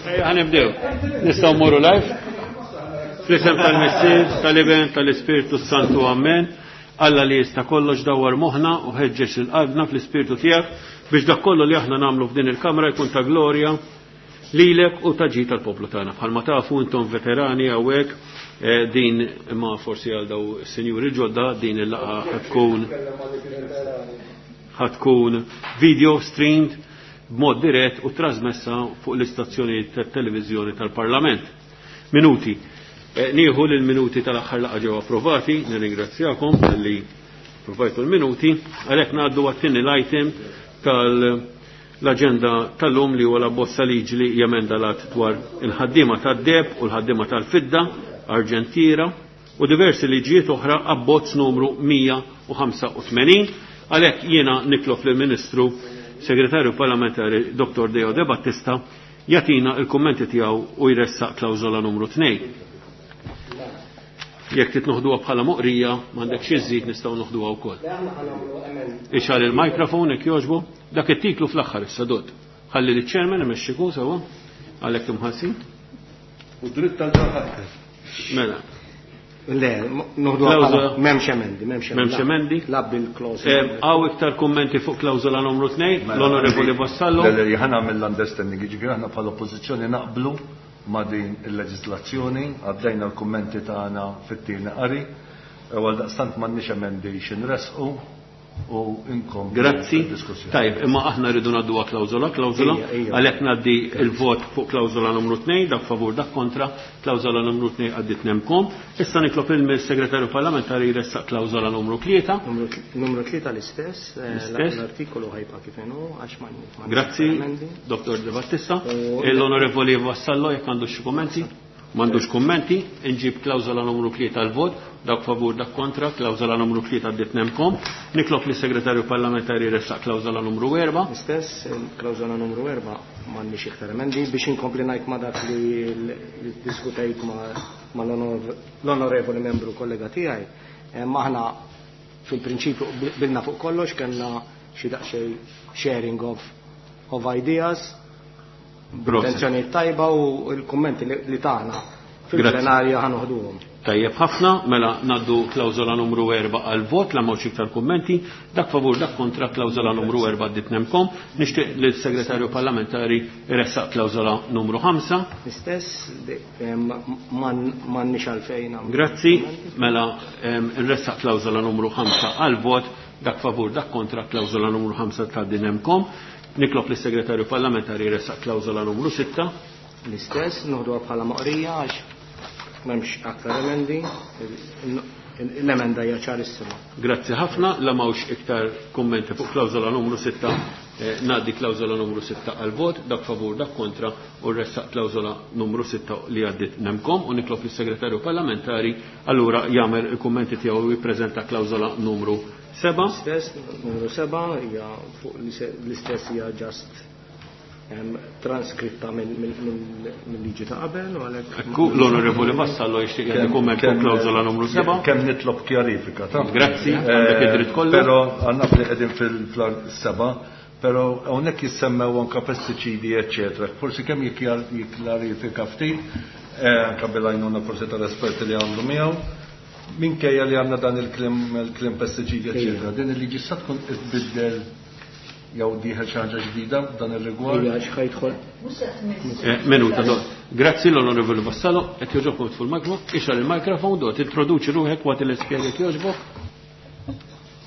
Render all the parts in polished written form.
Ejja nibdew. Nistgħu mmorru live. Fl-isem tal-Missier, tal-Iben, tal-Ispirtu Santu Amen. Alla li jista' kollox dawwar moħħna u ħeġġeġ lil qalbna fl-Ispirtu tiegħek biex dak kollu li aħna nagħmlu f'din il-kamra jkun ta' glorja lilek u ta' ġid tal-poplu tagħna. Bħalma tafu intom veterani hawnhekk eh, din imma forsi għal daw sinjuri ġodda din il-laqgħa tkun ħatkun video streamed b'mod dirett u trasmessa fuq l-istazzjonijiet tat-televiżjoni tal-Parlament. Minuti. Eh, nieħu li l-minuti tal-aħħar laqgħa ġew approvati, nirringrazzjakom talli approvajtu l-minuti, għalhekk ngħaddu għat-tieni l-item tal-aġenda tal-lum li huwa l-abbozza liġi li jemenda l-att dwar il-ħaddiema tad-deheb u l-ħaddiema tal-fidda, Arġentiera, u diversi liġijiet oħra abbozz numru 185. Għalhekk jiena nitlob lill-Ministru Segretarju Parlamentari Dr. Deo De Battista jagħtina l-kummenti tiegħu u jressaq klawżola numru 2. Jekk trid noħduha bħala moqrija, m'għandek xi żżid nistgħu noħduha wkoll. Ixgħal il-mikrofon jekk jogħġbu, dak it-titlu fl-aħħar issa dod. Ħalli liċ-chairman imexxiku sewwa għalhekk imħallsin. U dritt tal-ħadd. Mela. Le, noħdu m'hemmx emendi, m'hemmx emendi. M'hemmx emendi? La bil-klawżola. Eh, hawn iktar kummenti fuq klawżola numru 2, mela, l-Onorevoli Vassallo. Le, le, ħana mill-understanding, jiġifieri aħna bħala oppożizzjoni naqblu ma' din il-leġislazzjoni, għaddejna l-kummenti tagħna fit-tieni qari, u għaldaqstant m'għandniex emendi x'inressqu, u inkomplu Grazzi. d-diskussjoni. Tajjeb, imma aħna rridu ngħadduha klawżola klawżola, Ejja, ejja. għalhekk ngħaddi il-vot fuq klawżola numru 2, dak favur dak kontra, klawżola numru 2 għaddiet nemkom. Issa nitlob il-Segretarju Parlamentari jressaq klawżola numru 3. Numru Numru 3 l-istess, eh, L-istess. l-artikolu ħajba kif inhu għax ma ma Grazzi, emendi. Dr. De Battista. U- L-Onorevoli Vassallo jekk għandu xi kummenti? M'għandux kummenti, inġib klawżola numru 3 tal-vot, dak favur dak kontra, klawżola numru 3 għaddiet nemkom. Nitlob lis-Segretarju Parlamentari jressaq klawżola numru 4. L-istess, il-klawżola numru 4 m'għandniex iktar emendi biex inkompli ngħid ma' dak li li diskutejt ma' ma' l-onorevoli membru kollega tiegħi. Eh, Aħna fil-prinċipju bilna fuq kollox kellna xi daqsxejn sharing of of ideas Proset. intenzjoni tajba u l-kummenti li li tagħna fil-plenarja ħanoħduhom. Tajjeb ħafna, mela naddu klawżola numru 4 għal vot, la mawx iktar kummenti, dak favur dak kontra klawżola numru 4 għaddit nemkom. Nixtieq li s-segretarju parlamentari jressaq klawżola numru 5. L-istess m'għandniex għalfejn nagħmlu Grazzi, kummenti. mela nressaq klawżola numru 5 għal vot, dak favur dak kontra klawżola numru 5 tgħaddi nemkom. Nitlob lis segretarju parlamentari jressaq klawżola numru 6. L-istess, noħduha bħala moqrija għax m'hemmx aktar emendi, l-emenda hija ċarissima. Grazzi ħafna, la mawx iktar kummenti fuq klawżola numru 6, eh, ngħaddi klawżola numru 6 għal vot, dak favur, dak kontra, u ressaq klawżola numru 6 li għaddit nemkom u nitlob lis-segretarju parlamentari allura jagħmel il-kummenti tiegħu u jippreżenta klawżola numru 7. L-istess, numru 7 hija fuq l-istess hija just transkritta mill-liġi ta' qabel u għalhekk. Ekku l-Onorevoli Vassallo jixtieq jagħti kumment fuq klawżola numru 7. Kemm nitlob kjarifika, ta' Grazzi, għandek id-dritt kollu. Però għandna li qegħdin fil-seba, però hawnhekk jissemmew anke pestiċidi, eċetera. Forsi kemm jikklarifika ftit, eh, anke bil-għajnuna forsi tal-esperti li għandu miegħu. Minkejja li għandna dan il-klim il-klim pestiċidi, eċetera. Din il-liġi sa tkun tbiddel jew dieħel xi ħaġa ġdida f'dan ir-rigward. Hija x'ħajdħol. Eh, Minuta, do. Grazzi l-Onorevoli Vassallo, qed jogħġobkom tfu l-mikrofon, ixgħal il-mikrofon, do, tintroduċi ruħek waqt li spjega jogħġbok.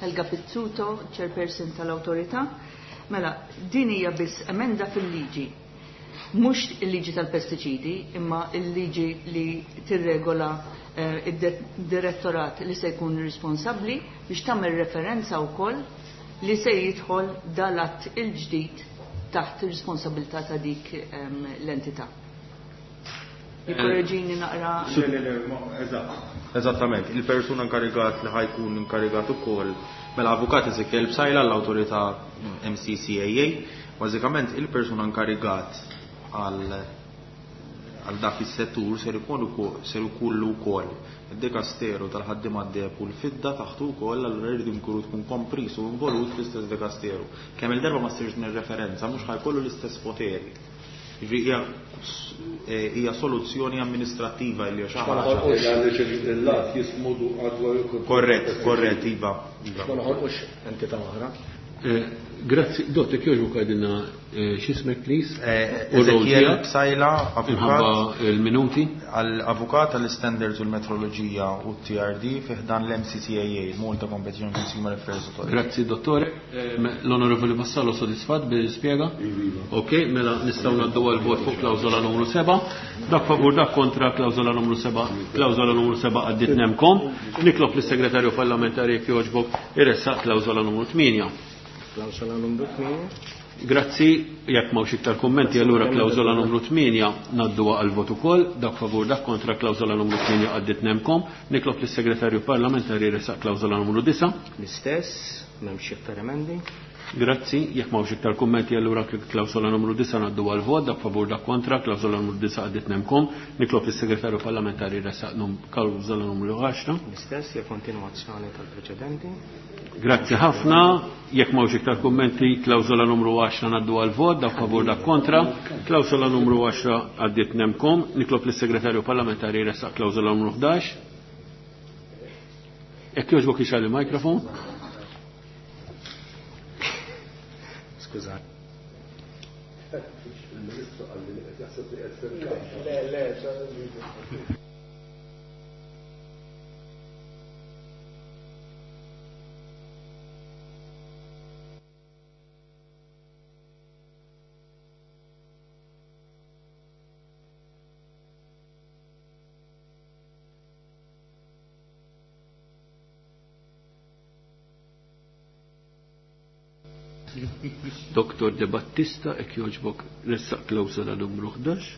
Helga Pizzuto, chairperson tal-autorità. Mela, din hija biss emenda fil-liġi. Mhux il-liġi tal-pestiċidi, imma il-liġi li tirregola eh, id-direttorat li se jkun responsabbli biex tagħmel referenza wkoll li se jidħol dal-att il-ġdid taħt ir-responsabilità ta' dik ehm, l-entità. Jikkoreġini naqra. Le, le, le, eżatt. Eżattament, il-persuna inkarigat li ħajkun inkarigat ukoll mela avukat Ezekiel Psaila l-awtorità MCCAA, bażikament il-persuna inkarigat għal għal dak is-settur ser ikun ukoll ser ikollu wkoll id-dekasteru tal-ħaddiema d-deheb u l-fidda taħtu wkoll allura jridu jkunu tkun kompris u involut fl-istess dekasteru. Kemm il-darba ma ssirx din ir-referenza mhux ħajkollu l-istess poteri. Jiġifieri hija soluzzjoni amministrattiva li xi ħaġa. Għaliex il-lat jismu dwar il Korrett, korrett, iva. Ma noħolqux entità oħra. Grazzi, Dott, jekk jogħġbok għidilna x'ismek please? Ezekiel Psaila, avukat. Minħabba l-minuti. Għall-avukat għall-Standards u l-Metroloġija u t-TRD fi ħdan l-MCCAA, Malta Competition and Consumer Affairs Authority. Grazzi, dottore. L-Onorevoli Vassallo sodisfatt bil-spjega? Ok, mela nistgħu ngħaddu għal vot fuq klawżola numru 7. Dak favur, dak kontra klawżola numru 7. Klawżola numru 7 għaddiet nemkom. Nitlob lis-Segretarju Parlamentari jekk jogħġbok iressaq klawżola numru 8. Klawżola numru 8. Grazzi, jekk m'hawnx iktar kummenti, allura klawżola numru 8 ngħadduha għal vot ukoll, dak favur, dak kontra klawżola numru 8 għaddiet nemkom. Nitlob lis-Segretarju Parlamentari jressaq klawżola numru 9. L-istess, m'hemmx iktar emendi. Grazzi, jekk m'hawnx iktar kummenti, allura klawżola numru 9 ngħaddu għal vot, dak favur, dak kontra, klawżola numru 9 għaddiet nemkom. Nitlob lis-Segretarju Parlamentari jressaq klawżola numru 10. L-istess, hija kontinwazzjoni tal-preċedenti. Grazzi ħafna, jekk m'hawnx iktar kummenti, klawżola numru 10 ngħaddu għal vot, dak favur, dak kontra, klawżola numru 10 għaddiet nemkom. Nitlob lis-Segretarju Parlamentari jressaq klawżola numru 11. Jekk jogħġbok ixgħal il-mikrofon. Skuża. Il-Ministru qal li qed jaħseb li qed fil-kamra. Le, le, Doktor De Battista, ek joġbok ressaq klawsola numru 11.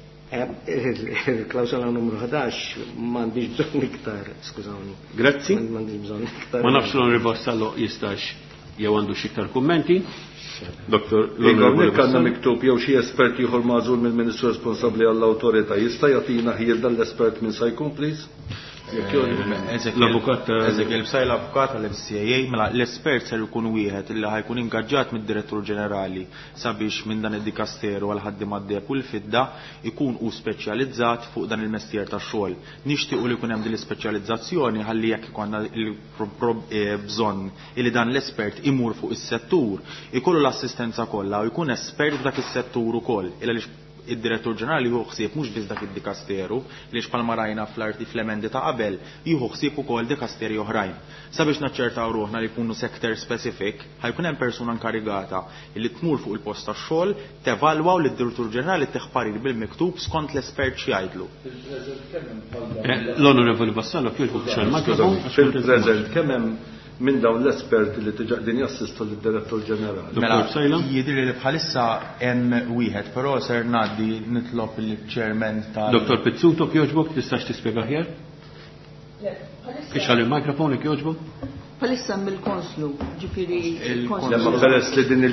Il-klawsola numru 11 m'għandix bżonn iktar, skużawni. Grazzi. M'għandix bżonn iktar. Ma nafx l-Onorevoli Vassallo jistax jew għandu xi iktar kummenti. Doktor, Igor, l-Onorevoli nek għandna Vassallo. miktub jew xi espert ieħor magħżul mill-Ministru responsabbli għall-awtorità jista' jagħtina ħjiel dan l-espert minn se jkun, please? L-avukat ta' Ezekiel Psaila, l-avukat tal-MCAA, mela l-espert ser ikun wieħed illi ħajkun ingaġġat mid-direttur ġenerali sabiex minn dan id-dikasteru għal ħaddiema d-deheb u l-fidda ikun u speċjalizzat fuq dan il-mestier tax-xogħol. Nixtiequ li jkun hemm din l-ispeċjalizzazzjoni ħalli jekk ikollna bżonn illi dan l-espert imur fuq is-settur, ikollu l-assistenza kollha u jkun espert f'dak is-settur ukoll. Illa għaliex id-direttur ġenerali jieħu ħsieb mhux biss dak id-dikasteru, li bħalma rajna fl-arti fl-emendi ta' qabel, jieħu ħsieb ukoll dikasteri oħrajn. Sabiex naċċertaw ruħna li jkunu sector specific, ħajkun hemm persuna inkarigata li tmur fuq il-post tax-xogħol, tevalwa u lid-direttur ġenerali tieħ parir bil-miktub skont l-espert x'jgħidlu. L-Onorevoli Vassallo, kif xogħol mikrofon? Fil-preżent kemm hemm minn dawn l-esperti li diġà qegħdin jassistu lid-direttur ġenerali? Dottor Mela, Psaila? jidhirli li bħalissa hemm wieħed, però ser ngħaddi nitlob il-chairman tal- Dottor Pizzuto, kjoġbok, tistax tispjega aħjar? Ixgħal il-mikrofon, kjoġbok? Bħalissa hemm il-konslu, ġifieri Il-konslu. Lemma peress li din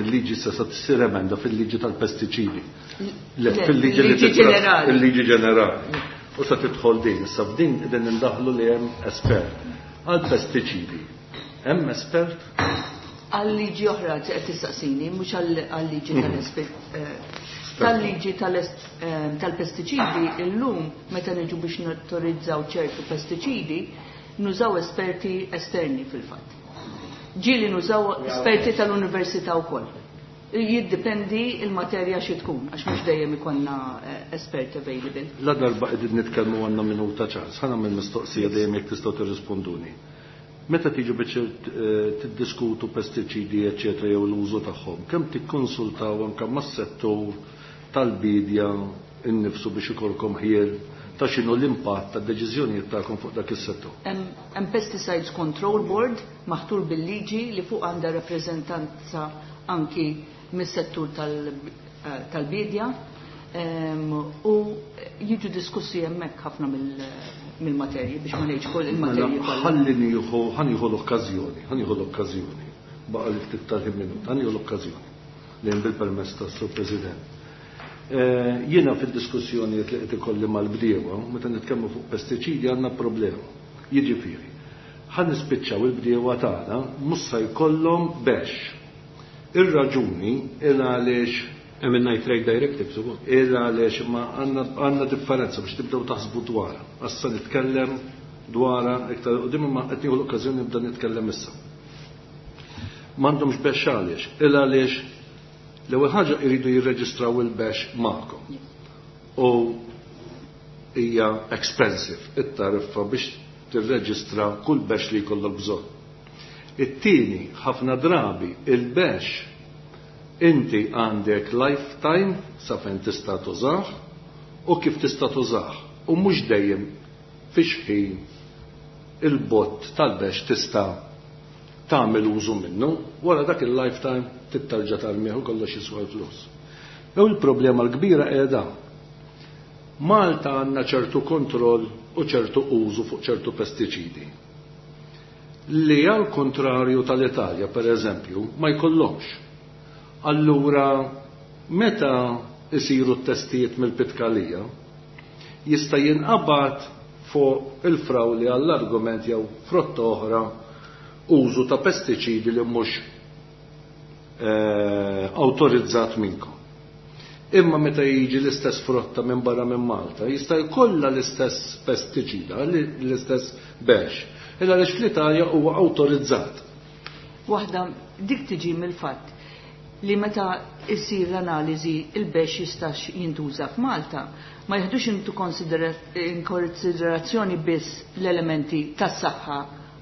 il-liġi se sa tsir emenda fil-liġi tal-pestiċidi. Le, Le, fil-liġi li il-liġi titra- ġenerali. Il-liġi ġenerali. U sa tidħol din, issa f'din qegħdin indaħlu li hemm espert. Għal-pestiċidi, hemm espert? Għal-liġi oħra qed tistaqsini, mhux għal-liġi tal-espert. Tal-liġi tal-pestiċidi illum meta niġu biex notorizzaw ċertu pestiċidi, nużaw esperti esterni fil-fatt. Ġieli nużaw esperti tal-università wkoll. Jiddependi il-materja xi tkun, għax mhux dejjem ikollna esperti available. La darba qegħdin nitkellmu għandna minuta ċans, ħa nagħmel mistoqsija dejjem jekk tistgħu tirrisponduni. Meta tiġu biex tiddiskutu pestiċidi eċetera jew l-użu tagħhom, kemm tikkonsultaw anke mas-settur tal-bidja innifsu biex ikolkom ħiel ta' x'inhu l-impatt tad-deċiżjonijiet tagħkom fuq dak is-settur? Hemm Pesticides Control Board maħtur bil-liġi li fuq għandha rappreżentanza anki mis-settur tal-bidja, u jiġu diskussi hemmhekk ħafna mill-materji biex ma ngħidx kull il-materji Mela, kollha. ħalli nieħu, ħa nieħu l-okkażjoni, ħa nieħu l-okkażjoni. Baqa' li ftit tal-ħin minut, ħa nieħu l-okkażjoni li hemm bil-permess tas-Sur President. Jiena fid-diskussjonijiet li qed ikolli mal-bdiewa, meta nitkellmu fuq pestiċidi għandna problema. Jiġifieri, ħa nispiċċaw il-bdiewa tagħna mhux se jkollhom bex. Ir-raġuni il għaliex Hemm il-Nitrate Directives ukoll. Illa għaliex ma għandna differenza biex tibdew taħsbu dwarha. Issa nitkellem dwarha iktar quddiem imma qed nieħu l-okkażjoni nibda nitkellem issa. M'għandhomx bexx għaliex. Illa għaliex l-ewwel ħaġa jridu jirreġistraw il-bexx magħkom. U hija expensive it-tariffa biex tirreġistra kull bexx li jkollok bżonn. It-tieni, ħafna drabi il-bexx inti għandek lifetime sa fejn tista' tużah u kif tista' tużah u mhux dejjem fi xħin il-bott tal-bexx tista' tagħmel użu minnu, wara dak il-lifetime tittarġa' tarmih u kollox jiswa l-flus. Jew il-problema l-kbira qiegħda. Malta għandna ċertu kontroll u ċertu użu fuq ċertu pestiċidi. Li għal kontrarju tal-Italja, per eżempju, ma jkollhomx. Allura, meta isiru t-testijiet mill-Pitkalija, jista' jinqabad fuq il-frawli għall-argument jew frotta oħra użu ta' pestiċidi li mhux awtorizzat minnkom. Imma meta jiġi l-istess frotta minn barra minn Malta, jista' jkollha l-istess pestiċida, l-istess bexx. Illa għaliex fl-Italja huwa awtorizzat. Waħda dik tiġi mill-fatt li meta issir l-analiżi il-bexx jistax jintuża f'Malta, ma jieħdux into in konsiderazzjoni biss l-elementi tas-saħħa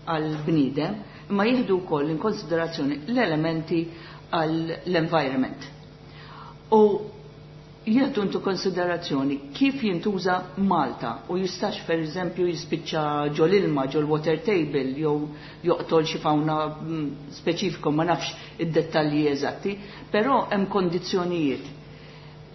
għall-bniedem, imma jieħdu wkoll in konsiderazzjoni l-elementi għall-environment. U jieħdu into konsiderazzjoni kif jintuża Malta u jistax per eżempju jispiċċa ġol ilma, ġol water table, jew joqtol xi fauna speċifika, ma nafx id-dettalji eżatti, però hemm kondizzjonijiet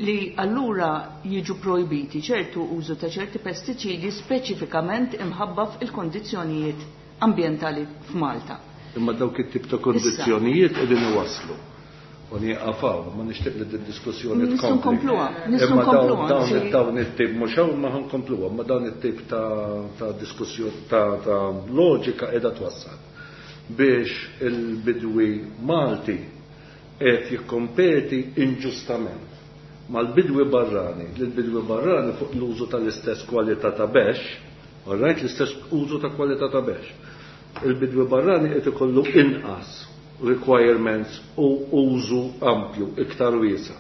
li allura jiġu projbiti ċertu użu ta' ċerti pestiċidi speċifikament imħabba fil-kondizzjonijiet ambjentali f'Malta. Imma dawk it-tip ta' kondizzjonijiet qegħdin iwasslu. U nieqafaw, ma nixtieq li d-diskussjoni Nistgħu tkompli. nkompluha, nistgħu Imma nkompluha, dawn anzi. dawn it-tip mhux hawn ma ħankompluha, ma dawn it-tip ta' diskussjoni ta' loġika qiegħda twassal biex il-bidwi Malti qed jikkompeti inġustament mal-bidwi barrani, li l-bidwi barrani fuq l-użu tal-istess kwalità ta' bexx, all right, l-istess użu ta' kwalità ta' bexx. Il-bidwi barrani qed ikollu inqas requirements u użu ampju, iktar wiesa.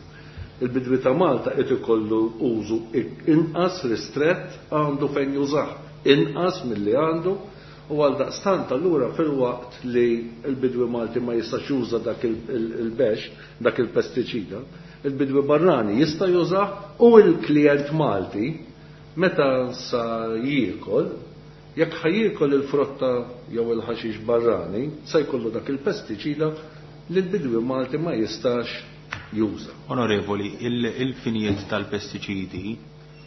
Il-bidwi ta' Malta qed ikollu użu inqas ristrett għandu fejn jużah, inqas milli għandu, u għal daqstant allura fil-waqt li l-bidwi Malti ma jistax juża dak il-bexx, dak il-pestiċida, il-bidwi barrani jista' jużah u l-klient Malti meta sa jiekol, jekk ħajjiekol il-frotta jew il-ħaxix barrani, sa jkollu dak il-pestiċida li l-bidwi Malti ma jistax juża. Onorevoli, il-finijiet tal-pestiċidi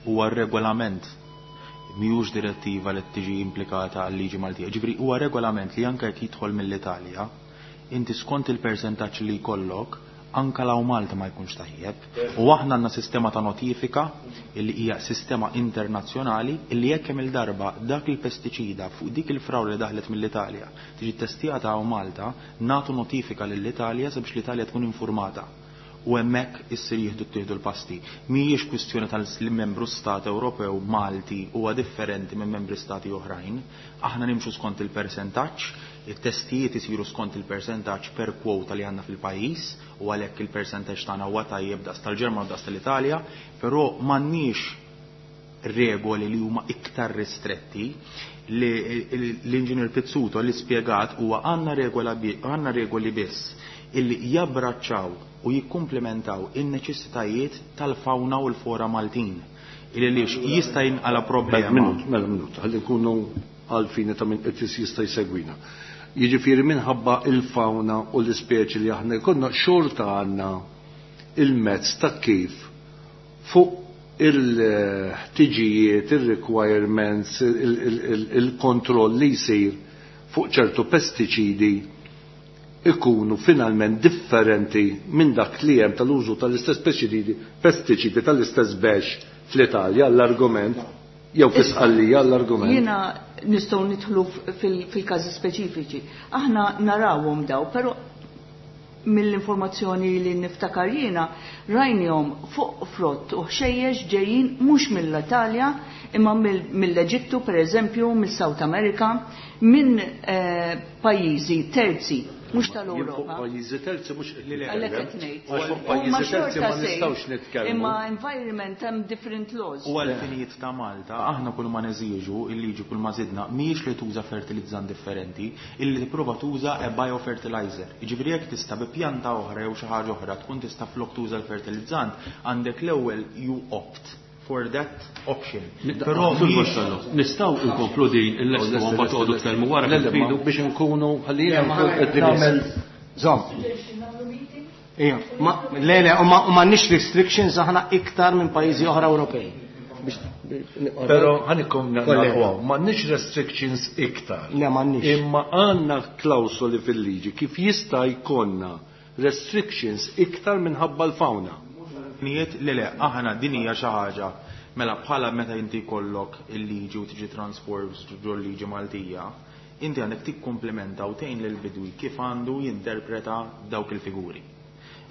huwa regolament, mhijiex direttiva li tiġi implikata għal-liġi Maltija. Ġifieri huwa regolament li anke jekk jidħol mill-Italja, inti skont il-persentaġġ li jkollok, anka law Malta ma jkunx tajjeb. U aħna għandna sistema ta' notifika illi hija sistema internazzjonali illi jekk hemm il-darba dak il-pestiċida fuq dik il-frawla li daħlet mill-Italja tiġi testjata hawn Malta, nagħtu notifika lill-Italja sabiex l-Italja tkun informata. U hemmhekk issir jieħdu ttieħdu l-pasti. Mhijiex kwistjoni tal-membru stat Ewropew Malti huwa differenti minn membri stati oħrajn. Aħna nimxu skont il-persentaġġ, it-testijiet isiru skont il-persentaġġ per kwota li għandna fil-pajjiż, u għalhekk il-persentaġġ tagħna huwa tajjeb daqs tal-Ġermanja u daqs tal-Italja, però m'għandniex regoli li huma iktar ristretti. Li l-Inġinier Pizzuto li spjegat huwa għandna regoli biss illi jabbraċċaw u jikkumplementaw in-neċessitajiet tal-fawna u l-flora Maltin. Illi lix jista' jinqala problema. Mela, mela, minut, ħalli nkunu għalfini ta' min qed jista' jsegwina. Jiġifieri minħabba il-fawna u l-ispeċi li aħna jkollna xorta għandna il-mezz ta' kif fuq il-ħtiġijiet, il-requirements, il-kontroll li jsir fuq ċertu pestiċidi ikunu finalment differenti minn dak li hemm tal-użu tal-istess pestiċidi tal-istess bexx fl-Italja l-argument jew fl-Isqallija l-argument. Jiena nistgħu nidħlu fil-każi speċifiċi. Aħna narawhom daw, però mill-informazzjoni li niftakar jiena rajnihom fuq frott u ħxejjex ġejjin mhux mill-Italja imma mill-Eġittu pereżempju, mis-South America, minn pajjiżi terzi mhux tal-Ewropa. Fuq pajjiżi terzi mhux qed nitkellem. Għalhekk qed ngħid. Għax fuq pajjiżi terzi ma nistgħux nitkellmu. Imma environment hemm different laws. U għall-finijiet ta' Malta, aħna kull ma neżiġu, il-liġi kull ma żidna, mhijiex li tuża fertilizzant differenti, illi tipprova tuża a biofertilizer. Jiġifieri jekk tista' bi pjanta oħra jew xi ħaġa oħra tkun tista' flok tuża l-fertilizzant, għandek l-ewwel you opt for that option. Però Sur Vassallo, nistgħu nkomplu din il-lestu u mbagħad toqgħodu tkellmu wara kif tridu. Biex inkunu ħalli nkun qed nagħmel Żomm. Ija, le le, u m'għandniex restrictions aħna iktar minn pajjiżi oħra Ewropej. Però ħanikom naqgħu, m'għandniex restrictions iktar. Le m'għandniex. Imma għandna klawsoli fil-liġi kif jista' jkollna restrictions iktar minħabba l-fauna. Niet, le le, aħna din hija xi ħaġa. Mela bħala meta inti jkollok il-liġi u tiġi transformed ġo liġi Maltija, inti għandek tikkumplementa u tgħin lill-bidwi kif għandu jinterpreta dawk il-figuri.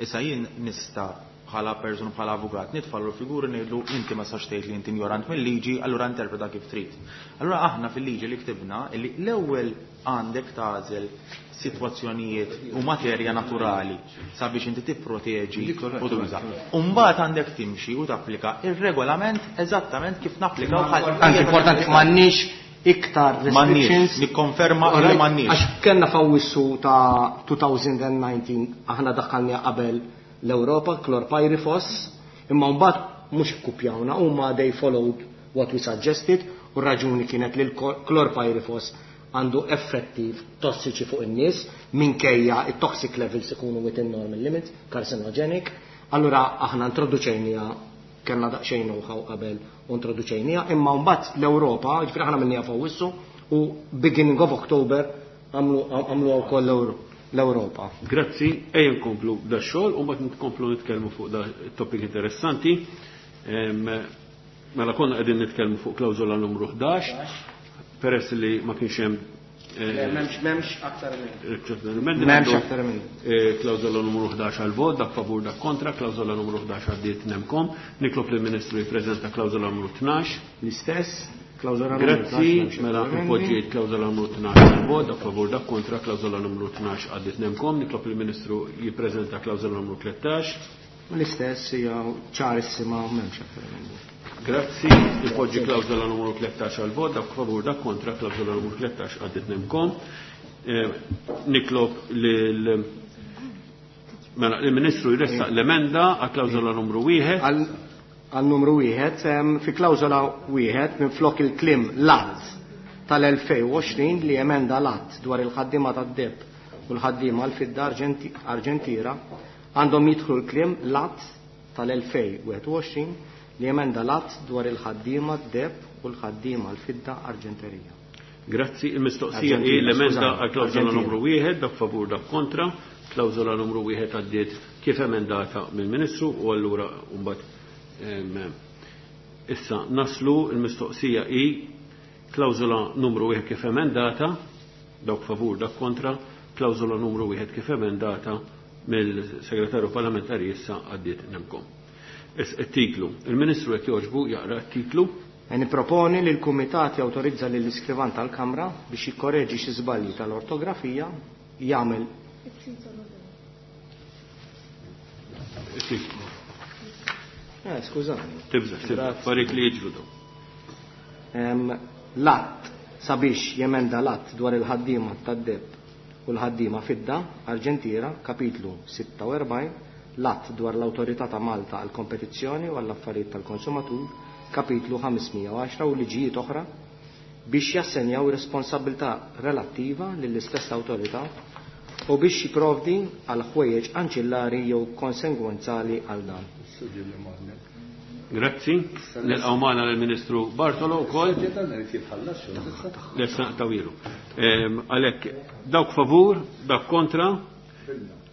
Issa jien nista' bħala persuna bħala avukat nitfallu l-figuri ngħidlu inti ma sax tgħid li inti ignorant mill-liġi, allura interpreta kif trid. Allura aħna fil-liġi li ktibna li l-ewwel għandek tagħżel sitwazzjonijiet u materja naturali sabiex inti tipproteġi u tuża. U mbagħad għandek timxi u tapplika ir-regolament eżattament kif napplikaw bħal. Anki importanti m'għandniex iktar restrictions. Nikkonferma li m'għandniex. Għax kellna f'Awwissu ta' 2019 aħna daħħalna qabel l-Ewropa chlorpyrifos, imma mbagħad mhux ikkupjawna huma they followed what we suggested u raġuni kienet li l-chlorpyrifos għandu effetti tossiċi fuq in-nies minkejja it-toxic levels ikunu within normal limits, carcinogenic. Allura aħna introduċejnija kellna daqsxejn know-how qabel u introduċejnija, imma mbagħad l-Ewropa, ġifieri aħna minnija f'Awwissu u beginning of October għamlu wkoll l-Ewropa. Grazzi, ejja nkomplu da xogħol u mbagħad nkomplu nitkellmu fuq da topic interessanti. Mela konna qegħdin nitkellmu fuq klawżola numru 11, peress li ma kienx hemm M'hemmx aktar minn. M'hemmx aktar minn. Klawżola numru 11 għal vot, dak favur dak kontra, klawżola numru 11 għaddiet nemkom. Nitlob lill-Ministru jippreżenta klawżola numru 12. L-istess, klawżola numru 12. Grazzi, mela npoġġiet klawżola numru 12 għal vot, dak favur dak kontra, klawżola numru 12 għaddiet nemkom. Nitlob lill-Ministru jippreżenta klawżola numru 13. L-istess hija ċarissima m'hemmx aktar minn. Grazzi, nipoġġi klawżola numru 13 għal vot, dak favur dak kontra, klawżola numru 13 għaddit nemkom. Nitlob lill-Ministru jressaq l-emenda għal klawżola numru 1. Għal numru 1, fi klawżola 1 minn flok il-klim l-att tal-2020 li emenda l-att dwar il-ħaddiema tad-deb u l-ħaddiema l-fidda Arġentira għandhom jidħlu l-klim l-att tal-2021 li emenda l-att dwar il-ħaddiema d-deb u l-ħaddiema l-fidda Arġenterija. Grazzi, il-mistoqsija hi l-emenda għal klawżola numru 1, dak favur dak kontra, klawżola numru 1 għaddiet kif emendata mill-Ministru u allura mbagħad issa naslu il-mistoqsija hi klawżola numru 1 kif emendata, dak favur dak kontra, klawżola numru 1 kif emendata mill-Segretarju Parlamentari issa għaddiet nemkom. Titlu. Il-Ministru jekk jogħġbu jaqra t-titlu. Niproponi li l-Kumitat jawtorizza lill-iskrivan tal-Kamra biex jikkoreġi xi żbalji tal-ortografija jagħmel. Skużani. Tibża, tibża, affarijiet li jiġru dawn. L-att sabiex jemenda l-att dwar il-ħaddiema tad-deb u l-ħaddiema fidda Arġentira, kapitlu 46, l-att dwar l-Awtorità ta' Malta għall kompetizzjoni u għall-affarijiet tal-konsumatur, kapitlu 510 u liġijiet oħra biex jassenjaw responsabilità relattiva lill-istess awtorità u biex jipprovdi għal ħwejjeġ anċillari jew konsegwenzali għal dan. Grazzi. Nilqgħu magħna lill-Ministru Bartolo wkoll. Lesta tawilu. Għalhekk dawk favur, dawk kontra,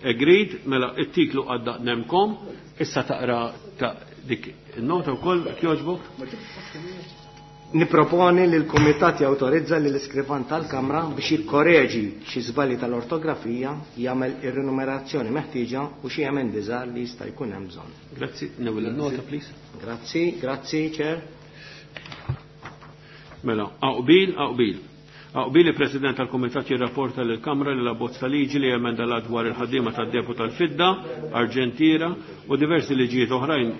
agreed, mela it-titlu għadda nemkom, issa taqra ta' dik nota wkoll jogħġbok. Niproponi li l-Kumitat jawtorizza li l-iskrivan tal-Kamra biex jikkoreġi xi żbalji tal-ortografija, jagħmel ir-rinumerazzjoni meħtieġa u xi emendi żgħar li jista' jkun hemm bżonn. Grazzi, newel nota please. Grazzi, grazzi, Chair. Mela, aqbil, aqbil. Aqbil il-President tal-Kumitat jirrapporta lill kamra li l-abbozz ta' liġi li emenda l dwar il-ħaddiema tad-depo tal-Fidda, Arġentiera u diversi liġijiet oħrajn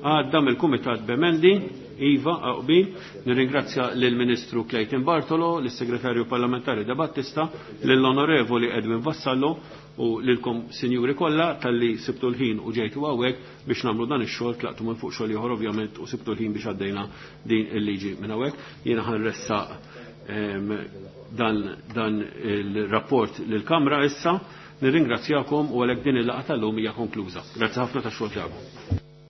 għadda mill-Kumitat b'emendi. Iva, aqbil, nirringrazzja lill-Ministru Clayton Bartolo, lis-Segretarju Parlamentari De Battista, lill-Onorevoli Edwin Vassallo u lilkom sinjuri kollha talli sibtu l-ħin u ġejtu hawnhekk biex nagħmlu dan ix-xogħol, tlaqtu minn fuq xogħol ieħor ovvjament u sibtu l-ħin biex għaddejna din il-liġi minn hawnhekk. Jiena ħanressaq dan, dan il-rapport lill-Kamra issa. Nirringrazzjakom u għalhekk din il-laqgħa tal-lum hija konkluża. Grazzi ħafna tax-xogħol tagħkom.